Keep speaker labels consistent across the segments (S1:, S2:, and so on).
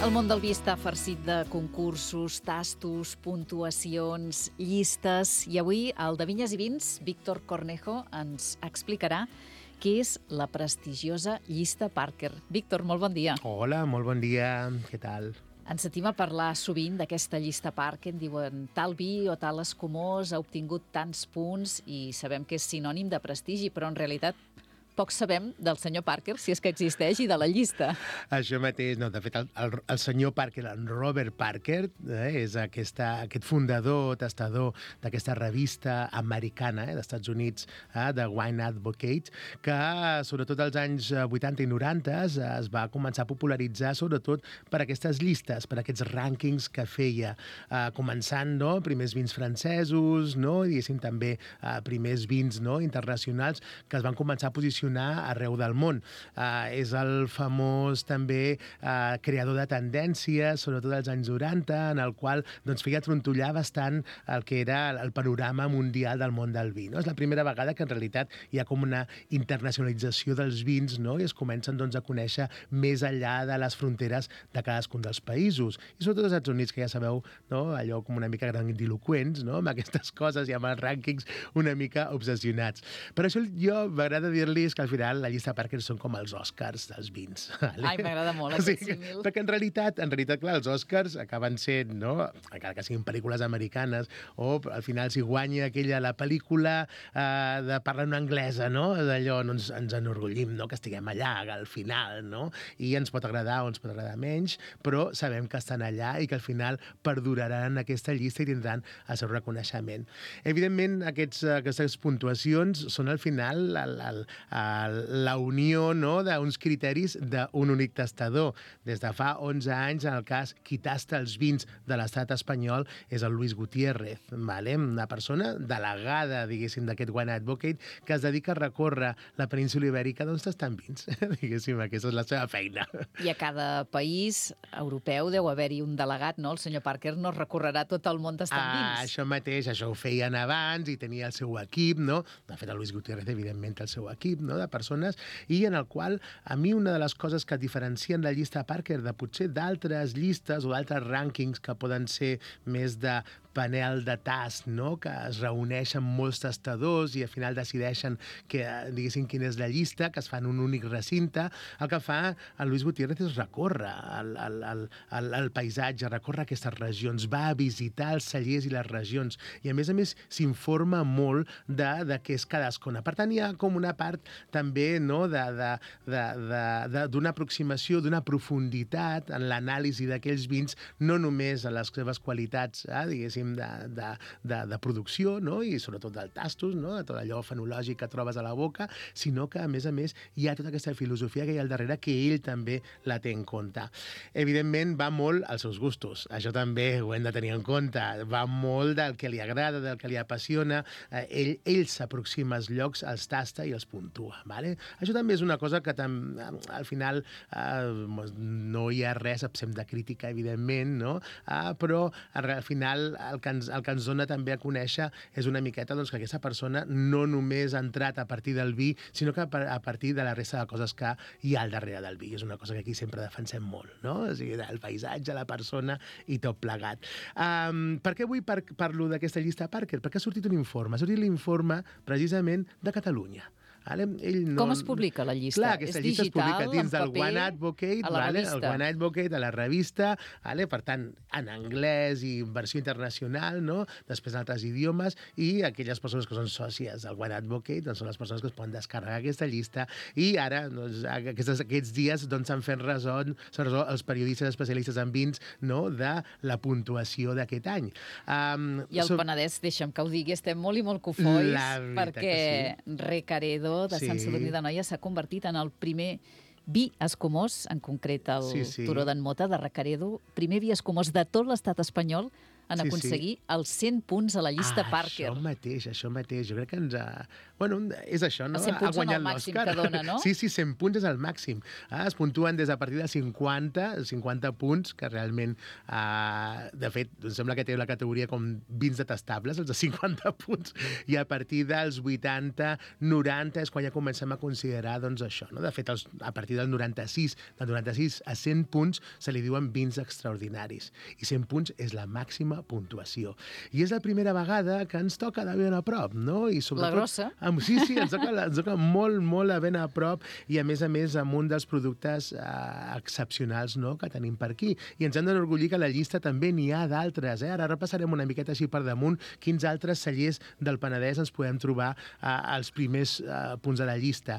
S1: El món del vi està farcit de concursos, tastos, puntuacions, llistes, i avui el de Vinyes i Vins, Víctor Cornejo, ens explicarà què és la prestigiosa llista Parker. Víctor, molt bon dia.
S2: Hola, molt bon dia, què tal?
S1: Ens sentim a parlar sovint d'aquesta llista Parker, diuen tal vi o tal escumós ha obtingut tants punts i sabem que és sinònim de prestigi, però en realitat poc sabem del senyor Parker, si és que existeix, i de la llista.
S2: Això mateix, no, de fet, el senyor Parker, en Robert Parker, és aquest fundador, testador d'aquesta revista americana d'Estats Units, de Wine Advocate, que sobretot als anys 80 i 90 es va començar a popularitzar sobretot per aquestes llistes, per aquests rànquings que feia, començant, no?, primers vins francesos, no?, i diguéssim també primers vins, no?, internacionals, que es van començar a posicionar arreu del món. És el famós també creador de tendències, sobretot als anys 90, en el qual feia trontollar bastant el que era el panorama mundial del món del vi. És la primera vegada que en realitat hi ha com una internacionalització dels vins, i es comencen a conèixer més enllà de les fronteres de cadascun dels països. I sobretot als Estats Units, que ja sabeu, allò com una mica grandiloqüents, amb aquestes coses i amb els rànquings una mica obsessionats. Per això jo m'agrada dir-li que al final la llista Parker són com els Oscars dels vins.
S1: Ai, m'agrada molt aquest símil.
S2: Perquè en realitat, clar, els Oscars acaben sent, encara que siguin pel·lícules americanes, o al final si guanya la pel·lícula de parla en anglesa, d'allò ens enorgullim, que estiguem allà al final, i ens pot agradar o ens pot agradar menys, però sabem que estan allà i que al final perduraran aquesta llista i tindran el seu reconeixement. Evidentment, aquestes puntuacions són al final la unió d'uns criteris d'un únic tastador. Des de fa 11 anys, en el cas qui tasta els vins de l'estat espanyol és el Luis Gutiérrez, una persona delegada, diguéssim, d'aquest Wine Advocate, que es dedica a recórrer la península ibèrica tastant vins. Diguéssim, aquesta és la seva feina.
S1: I a cada país europeu deu haver-hi un delegat, no? El senyor Parker no recorrerà tot el món tastant vins.
S2: Això mateix, això ho feien abans i tenia el seu equip, De fet, el Luis Gutiérrez, evidentment, té el seu equip, de persones, i en el qual a mi una de les coses que diferencien la llista Parker de potser d'altres llistes o d'altres rànquings que poden ser més de panel de tast, que es reuneixen molts tastadors i al final decideixen diguéssim quina és la llista, que es fa en un únic recinte, el que fa el Luis Gutiérrez és recórrer el paisatge, recórrer aquestes regions, va a visitar els cellers i les regions i a més s'informa molt de què és cadascuna. Per tant, hi ha com una part també d'una aproximació, d'una profunditat en l'anàlisi d'aquells vins, no només a les seves qualitats, diguéssim, de producció, i sobretot del tastos, de tot allò fenològic que trobes a la boca, sinó que, a més, hi ha tota aquesta filosofia que hi ha al darrere que ell també la té en compte. Evidentment, va molt als seus gustos. Això també ho hem de tenir en compte. Va molt del que li agrada, del que li apassiona. Ell s'aproxima als llocs, els tasta i els puntua. Això també és una cosa que al final no hi ha res absent de crítica, evidentment, però al final el que ens dona també a conèixer és una miqueta que aquesta persona no només ha entrat a partir del vi, sinó que a partir de la resta de coses que hi ha al darrere del vi. És una cosa que aquí sempre defensem molt, O sigui, el paisatge, la persona i tot plegat. Per què avui parlo d'aquesta llista Parker? Perquè ha sortit un informe. Ha sortit l'informe precisament de Catalunya.
S1: Com es publica la llista?
S2: Clar, aquesta llista es publica dins del Wine Advocate,
S1: el
S2: Wine Advocate, a la revista, per tant, en anglès i versió internacional, després en altres idiomes, i aquelles persones que són sòcies del Wine Advocate són les persones que es poden descarregar aquesta llista, i ara, aquests dies, s'han fet ressò els periodistes especialistes en vins de la puntuació d'aquest any.
S1: I el Penedès, deixa'm que ho digui, estem molt i molt cofois, perquè Recaredo de Sant Sadurní d'Anoia s'ha convertit en el primer vi escumós, en concret el Turó d'en Mota de Recaredo, primer vi escumós de tot l'estat espanyol en aconseguir els 100 punts a la llista Parker.
S2: Això mateix. Jo crec que ens ha... Bueno, és això, no?
S1: Els 100 punts són el màxim que dona, no?
S2: Sí, 100 punts és el màxim. Es puntuen des a partir de 50 punts, que realment, de fet, em sembla que té la categoria com vins detestables, els de 50 punts, i a partir dels 80, 90 és quan ja comencem a considerar, doncs, això, no? De fet, a partir del 96 a 100 punts se li diuen vins extraordinaris, i 100 punts és la màxima puntuació. I és la primera vegada que ens toca de ben a prop, no? I sobretot,
S1: la grossa.
S2: Sí, ens toca molt, molt a ben a prop, i a més amb un dels productes excepcionals, no?, que tenim per aquí. I ens hem d'enorgullir que a la llista també n'hi ha d'altres. Ara repassarem una miqueta així per damunt quins altres cellers del Penedès ens podem trobar als primers punts de la llista.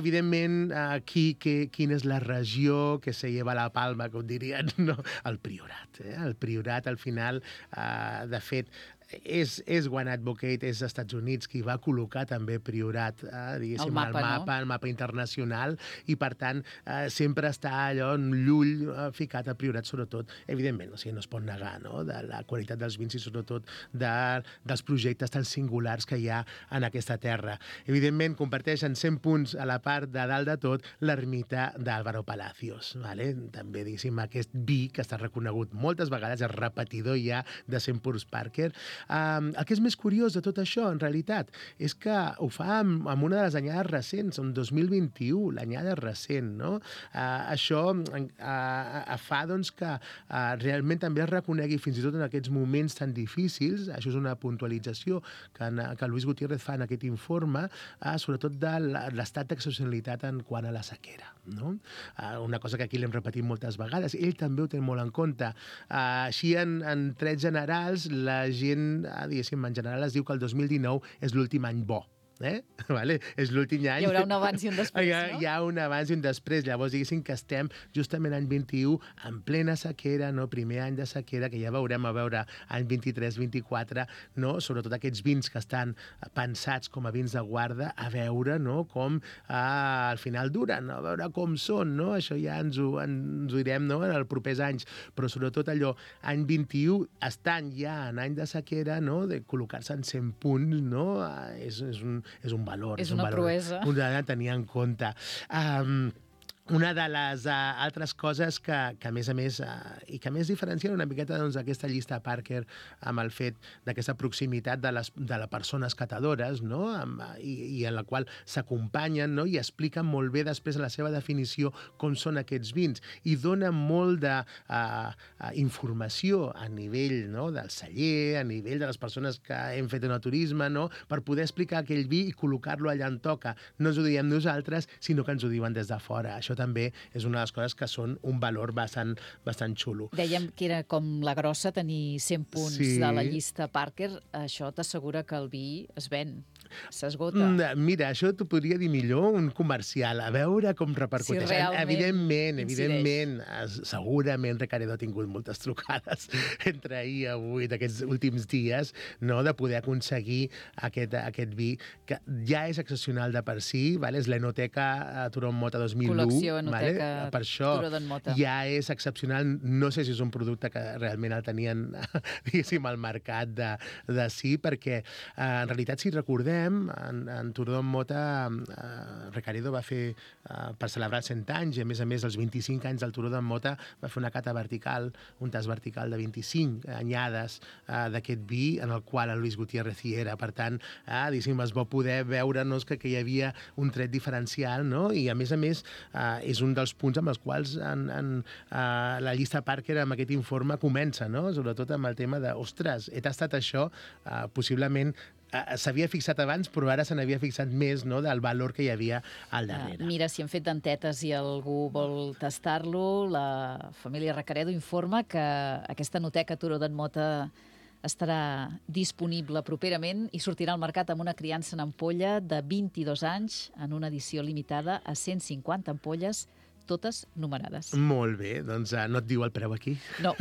S2: Evidentment, quina és la regió que se lleva la palma, com dirien, no? El Priorat. El Priorat, al final, de fet, és One Advocate, és als Estats Units, qui va col·locar també Priorat, diguéssim, al mapa internacional, i per tant sempre està allò en l'ull ficat a Priorat, sobretot, evidentment, o sigui, no es pot negar, no?, de la qualitat dels vins i sobretot dels projectes tan singulars que hi ha en aquesta terra. Evidentment, comparteixen 100 punts a la part de dalt de tot l'ermita d'Álvaro Palacios, vale? També, diguéssim, aquest vi que està reconegut moltes vegades, és repetidor ja de 100 punts Parker. El que és més curiós de tot això, en realitat, és que ho fa amb una de les anyades recents, en 2021, l'anyada recent, no? Això fa, doncs, que realment també es reconegui, fins i tot en aquests moments tan difícils, això és una puntualització que Luis Gutiérrez fa en aquest informe, sobretot de l'estat d'excepcionalitat en quant a la sequera, no? Una cosa que aquí l'hem repetit moltes vegades, ell també ho té molt en compte. Així, en trets generals, la gent, diguéssim, en general es diu que el 2019 és l'últim any bo. Vale? És l'últim any.
S1: Hi haurà un abans i un després, no?
S2: Hi ha un abans i un després. Llavors, diguéssim que estem justament any 21 en plena sequera, no? Primer any de sequera, que ja veurem a veure any 23-24, no? Sobretot aquests vins que estan pensats com a vins de guarda, a veure, no?, com al final duren, a veure com són, no? Això ja ens ho direm, no?, en els propers anys. Però sobretot allò, any 21, estan ja en any de sequera, no?, de col·locar-se en 100 punts, no?, és un valor.
S1: És una proesa.
S2: Un de tenir en compte. Una de les altres coses que a més, i que més diferencien una miqueta, doncs, aquesta llista Parker amb el fet d'aquesta proximitat de les persones catadores, no?, i en la qual s'acompanyen, no?, i expliquen molt bé després a la seva definició com són aquests vins, i donen molt d'informació a nivell, no?, del celler, a nivell de les persones que hem fet enoturisme, no?, per poder explicar aquell vi i col·locar-lo allà on toca. No ens ho diem nosaltres, sinó que ens ho diuen des de fora. Això també és una de les coses que són un valor bastant xulo.
S1: Dèiem que era com la grossa, tenir 100 punts de la llista Parker. Això t'assegura que el vi es ven, s'esgota.
S2: Mira, això t'ho podria dir millor un comercial, a veure com repercuteix.
S1: Si realment
S2: Evidentment, segurament Recaredo ha tingut moltes trucades entre ahir i avui, d'aquests últims dies, no?, de poder aconseguir aquest vi, que ja és excepcional de per si, vale? És l'Enoteca Turó en Mota 2001.
S1: Col·lecció Enoteca
S2: Per això
S1: Turó d'en Mota.
S2: ja és excepcional. No sé si és un producte que realment el tenien, diguéssim, al mercat de sí, perquè en realitat, si recordem, en Turó d'en Mota Recaredo va fer, per celebrar els 100 anys, i a més, els 25 anys del Turó d'en Mota, va fer una cata vertical, un tas vertical de 25 anyades d'aquest vi, en el qual el Luis Gutiérrez hi era. Per tant, diguéssim, es va poder veure, no?, que hi havia un tret diferencial, no?, i a més, és un dels punts amb els quals la llista Parker amb aquest informe comença, no?, sobretot amb el tema de, ostres, he tastat això, possiblement s'havia fixat abans, però ara se n'havia fixat més, no?, del valor que hi havia al darrere.
S1: Mira, si hem fet dentetes i algú vol tastar-lo, la família Recaredo informa que aquesta Enoteca Turó d'en Mota estarà disponible properament i sortirà al mercat amb una criança en ampolla de 22 anys en una edició limitada a 150 ampolles, totes numerades.
S2: Molt bé, doncs no et diu el preu aquí?
S1: No.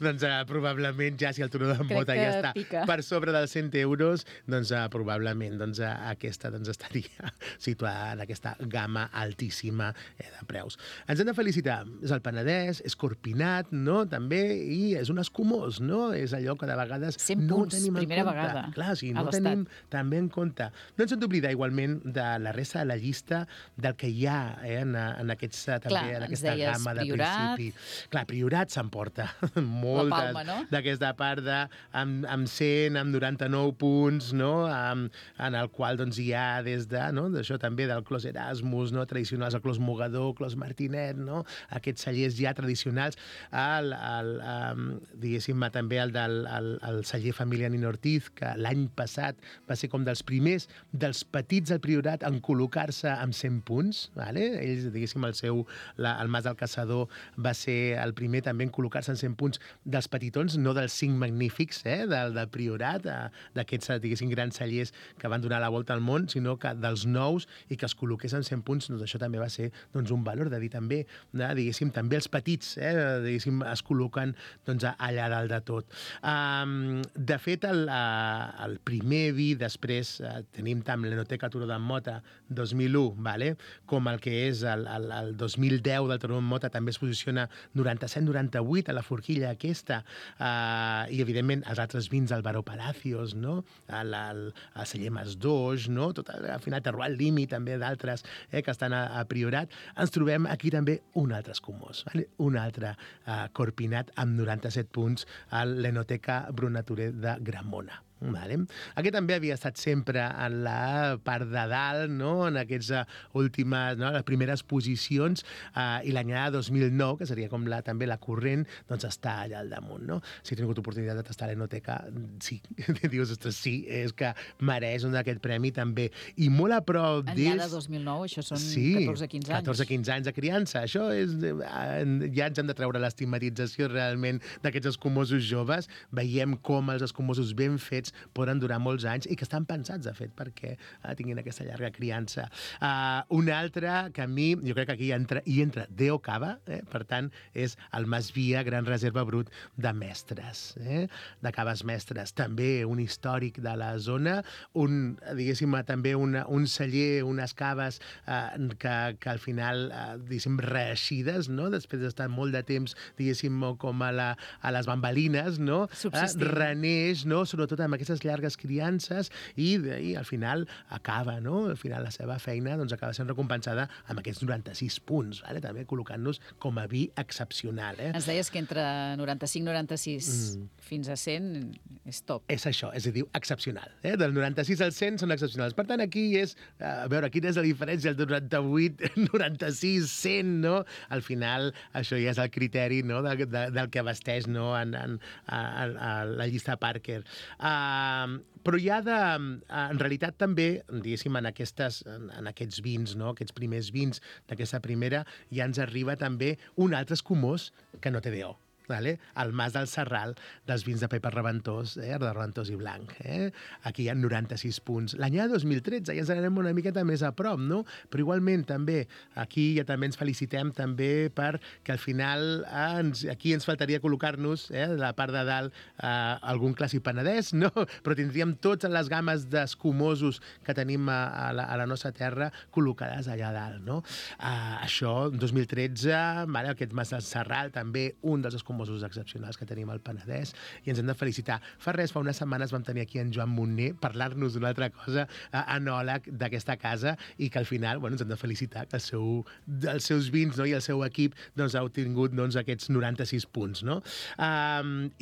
S2: Doncs probablement ja si el turó de mota ja està
S1: pica
S2: per sobre dels 100 euros, doncs probablement aquesta estaria situada en aquesta gamma altíssima de preus. Ens hem de felicitar. És el Penedès, és Corpinat, no? També, i és un escumós, no? És allò que de vegades
S1: 100
S2: no
S1: punts,
S2: tenim en
S1: primera
S2: compte.
S1: vegada
S2: Clar, sí,
S1: a
S2: no
S1: l'Estat.
S2: tenim també en compte. No ens hem d'oblidar igualment de la resta de la llista del que hi ha en aquesta gamma de
S1: Priorat.
S2: principi. Clar, Priorat s'emporta
S1: La palma, no?
S2: d'aquesta part amb 100, amb 99 punts, no? En el qual doncs, hi ha des d'això també del Clos Erasmus, no? Tradicionals, el Clos Mogador, Clos Martinet, no? Aquests cellers ja tradicionals, diguéssim també el celler Família Nino Ortiz, que l'any passat va ser com dels primers, dels petits al Priorat, en col·locar-se amb 100 punts. Vale? Ells, diguéssim, el Mas del Caçador va ser el primer també en col·locar-se en 100 punts dels petitons, no dels 5 magnífics del Priorat, d'aquests, diguéssim, grans cellers que van donar la volta al món, sinó que dels nous i que es col·loqués en 100 punts, doncs això també va ser un valor de dir també, diguéssim, també els petits, diguéssim, es col·loquen allà dalt de tot. De fet, el primer vi, després tenim tant l'Enoteca Turó d'en Mota 2001, com el que és el 2010 del Turó d'en Mota, també es posiciona 97-98 a la forquilla aquesta, i evidentment els altres vins, el Baró Palacios, no? El celler Mas Doix, no? Tot, al final Terroir Limi, també d'altres que estan a Priorat. Ens trobem aquí també un altre escumós, un altre Corpinat amb 97 punts a l'Enoteca Brunaturer de Gramona. Aquest també havia estat sempre en la part de dalt, no? En aquestes últimes, les primeres posicions, i l'anyada 2009, que seria com també la corrent, doncs està allà al damunt. No? Si he tingut oportunitat de tastar l'Enoteca, sí, dius, ostres, sí, és que mereix aquest premi també. I molt a prop d'ells...
S1: Anyada 2009, això són 14-15 anys.
S2: 14-15 anys de criança. Això és... Ja ens hem de treure l'estigmatització realment d'aquests escumosos joves. Veiem com els escumosos ben fets poden durar molts anys i que estan pensats, de fet, perquè tinguin aquesta llarga criança. Un altre que a mi, jo crec que aquí hi entra Deo Cava, per tant, és el Mas Via, Gran Reserva Brut de Mestres, de Caves Mestres. També un històric de la zona, diguéssim, també un celler, unes caves que al final, diguéssim, reeixides, no? Després d'estar molt de temps, diguéssim, com a les bambalines, no? Reneix, no? Sobretot amb aquestes llargues criances i al final acaba, no? Al final la seva feina acaba sent recompensada amb aquests 96 punts, també col·locant-nos com a vi excepcional.
S1: Ens deies que entre 95-96 fins a 100 és top.
S2: És això, és a dir, excepcional. Del 96 al 100 són excepcionals. Per tant, aquí és, a veure, quina és la diferència del 98, 96, 100, no? Al final, això ja és el criteri, no? del que abasteix, no? en la llista Parker. Però hi ha en realitat també, diguéssim, en aquests vins, no? Aquests primers vins d'aquesta primera, ja ens arriba també un altre escumós que no té DO. El Mas del Serral dels vins de Pepa Reventós, de Reventós i Blanc. Aquí hi ha 96 punts. L'anyada 2013 ja ens anem una miqueta més a prop, no? Però igualment també, aquí ja també ens felicitem també perquè al final aquí ens faltaria col·locar-nos, de la part de dalt, algun clàssic penedès, no? Però tindríem totes les gammes d'escumosos que tenim a la nostra terra col·locades allà dalt, no? Això, 2013, aquest Mas del Serral, també un dels escumosos excepcionals que tenim al Penedès, i ens hem de felicitar. Fa unes setmanes vam tenir aquí en Joan Montner parlar-nos d'una altra cosa, enòleg d'aquesta casa, i que al final ens hem de felicitar que els seus vins, no? I el seu equip ha obtingut aquests 96 punts. No?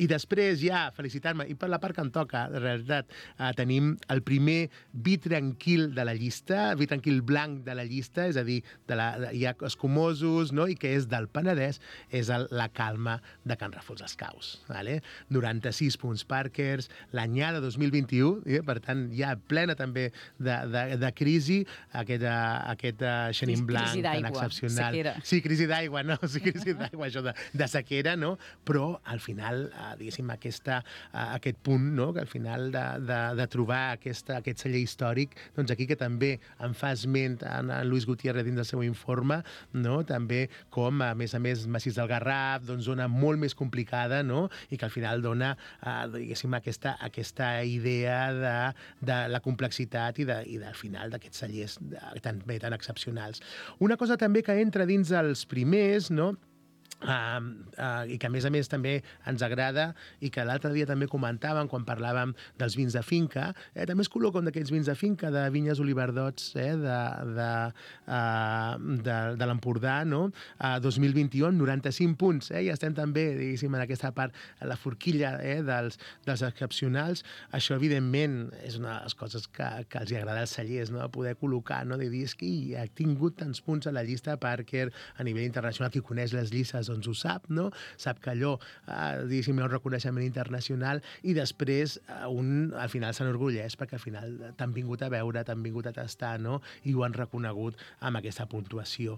S2: I després ja felicitar-me, i per la part que em toca, de realitat, tenim el primer vi tranquil de la llista, vi tranquil blanc de la llista, és a dir, hi ha escumosos, no? I que és del Penedès, és la Calma de Can Ràfols Escaus. Vale? 96 punts Parkers, l'anyada 2021, per tant, ja plena també de crisi, aquest Chenin Blanc tan excepcional.
S1: Sequera.
S2: Sí, crisi d'aigua, no? Sí, crisi d'aigua, això de sequera, no? Però, al final, diguéssim, aquest punt, no? Que al final de trobar aquest celler històric, doncs aquí que també en fa esment en Luis Gutiérrez dins del seu informe, no? També com, a més, Massís del Garraf, doncs zona molt més complicada, no? I que al final dona, diguéssim, aquesta idea de la complexitat i al final d'aquests cellers tan excepcionals. Una cosa també que entra dins els primers, no? I que a més també ens agrada i que l'altre dia també comentàvem quan parlàvem dels vins de finca, també es col·loca un d'aquests vins de finca de Vinyes Oliverdots de l'Empordà, no? 2021, 95 punts, i estem també, diguéssim, en aquesta part, la forquilla dels excepcionals. Això, evidentment, és una de les coses que els agrada als cellers, no? Poder col·locar, no? De dir, és que ha tingut tants punts a la llista Parker a nivell internacional, qui coneix les llistes doncs ho sap, no? Sap que allò, diguéssim, hi ha un reconeixement internacional i després al final s'enorgulleix perquè al final t'han vingut a veure, t'han vingut a tastar, no? I ho han reconegut amb aquesta puntuació.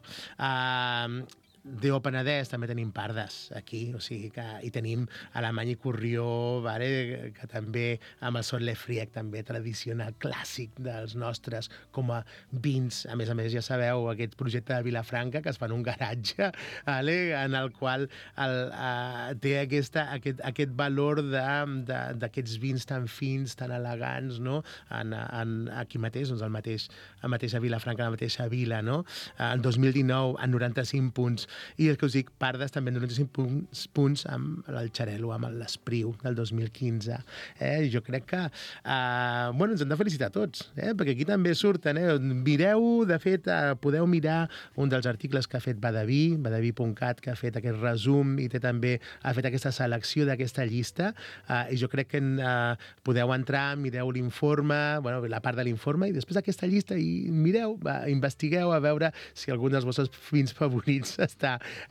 S2: Déu Penedès també tenim Pardes aquí, o sigui que hi tenim Alemany i Corrió, vale? Que també amb el Sot Lefriec també tradicional clàssic dels nostres com a vins. A més, ja sabeu, aquest projecte de Vilafranca que es fa en un garatge, vale? En el qual té aquest valor d'aquests vins tan fins, tan elegants, no? Aquí mateix, doncs a Vilafranca, a la mateixa vila, no? El 2019, en 95 punts. I el que us dic, Pardes també en 95 punts amb el Xarel·lo, amb l'Espriu del 2015. Jo crec que ens hem de felicitar tots, perquè aquí també surten. Mireu, de fet, podeu mirar un dels articles que ha fet badaví.cat, que ha fet aquest resum i ha fet aquesta selecció d'aquesta llista, i jo crec que podeu entrar, mireu l'informe, la part de l'informe, i després d'aquesta llista i mireu, investigueu a veure si algun dels vostres vins favorits està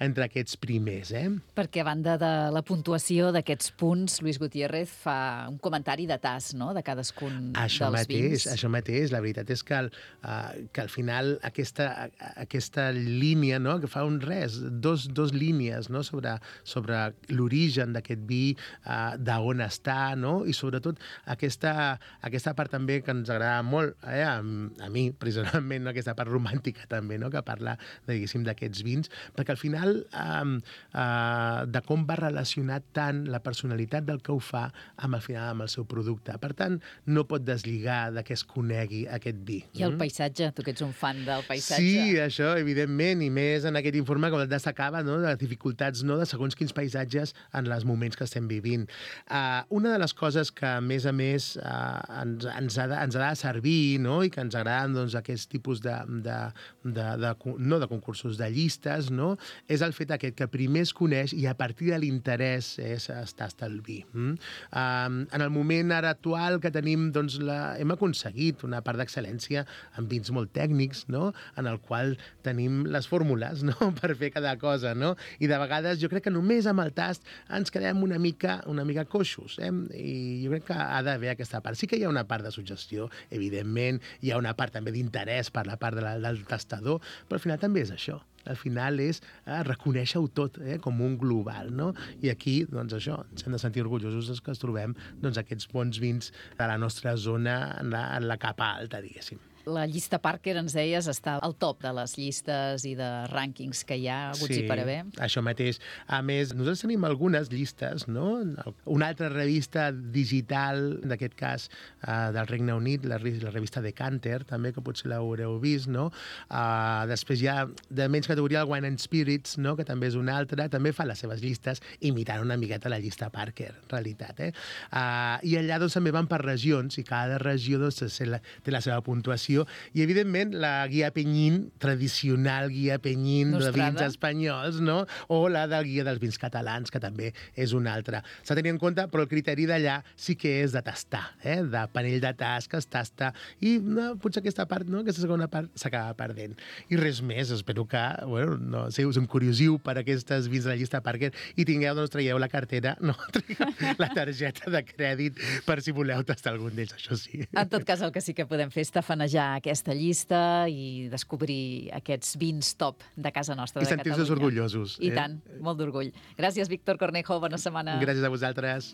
S2: entre aquests primers.
S1: Perquè a banda de la puntuació d'aquests punts, Luis Gutiérrez fa un comentari de tas, no?, de cadascun dels vins. Això mateix. La veritat és que al final aquesta línia, no?, que fa dos línies, no?, sobre l'origen d'aquest vi, d'on està, no?, i sobretot aquesta part també que ens agrada molt, a mi, personalment, no?, aquesta part romàntica també, no?, que parla, diguéssim, d'aquests vins, perquè al final de com va relacionar tant la personalitat del que ho fa amb el seu producte. Per tant, no pot deslligar de que es conegui aquest vi. I el paisatge, tu que ets un fan del paisatge.
S2: Sí, això, evidentment, i més en aquest informe com el destacava, no?, de les dificultats, no?, de segons quins paisatges en els moments que estem vivint. Una de les coses que, a més, ens ha de servir, no?, i que ens agraden, doncs, aquest tipus no de concursos, de llistes, no?, és el fet aquest que primer es coneix i a partir de l'interès es tasta el vi. En el moment ara actual que tenim, doncs, hem aconseguit una part d'excel·lència en vins molt tècnics, no?, en el qual tenim les fórmules, no?, per fer cada cosa, no?, i de vegades jo crec que només amb el tast ens quedem una mica coixos, i jo crec que ha d'haver aquesta part. Sí que hi ha una part de suggestió, evidentment, hi ha una part també d'interès per la part del tastador, però al final també és això. Al final és reconèixer-ho tot com un global, no? I aquí, doncs això, ens hem de sentir orgullosos que es trobem aquests bons vins de la nostra zona en la capa alta, diguéssim.
S1: La llista Parker, ens deies, està al top de les llistes i de rànquings que hi ha haguts i per haver.
S2: Sí, això mateix. A més, nosaltres tenim algunes llistes, no? Una altra revista digital, en aquest cas del Regne Unit, la revista Decanter, també, que potser l'haureu vist, no? Després hi ha, de menys categoria, el Wine and Spirits, no?, que també és una altra, també fa les seves llistes imitant una miqueta la llista Parker, en realitat. I allà, doncs, també van per regions, i cada regió, doncs, té la seva puntuació, degustació. I, evidentment, la guia Penyín, tradicional guia Penyín de vins espanyols, no? O la del guia dels vins catalans, que també és una altra. S'ha de tenir en compte, però el criteri d'allà sí que és de tastar, de panell de tas que es tasta, i potser aquesta part, aquesta segona part, s'acaba perdent. I res més, espero que, si us encuriosiu per aquestes vins de la llista Parker i tingueu, traieu la cartera, la targeta de crèdit per si voleu tastar algun d'ells, això sí.
S1: En tot cas, el que sí que podem fer és tafanejar aquesta llista i descobrir aquests vins top de casa nostra, de Catalunya.
S2: I sentir-se orgullosos.
S1: I tant, molt d'orgull. Gràcies, Víctor Cornejo, bona setmana.
S2: Gràcies a vosaltres.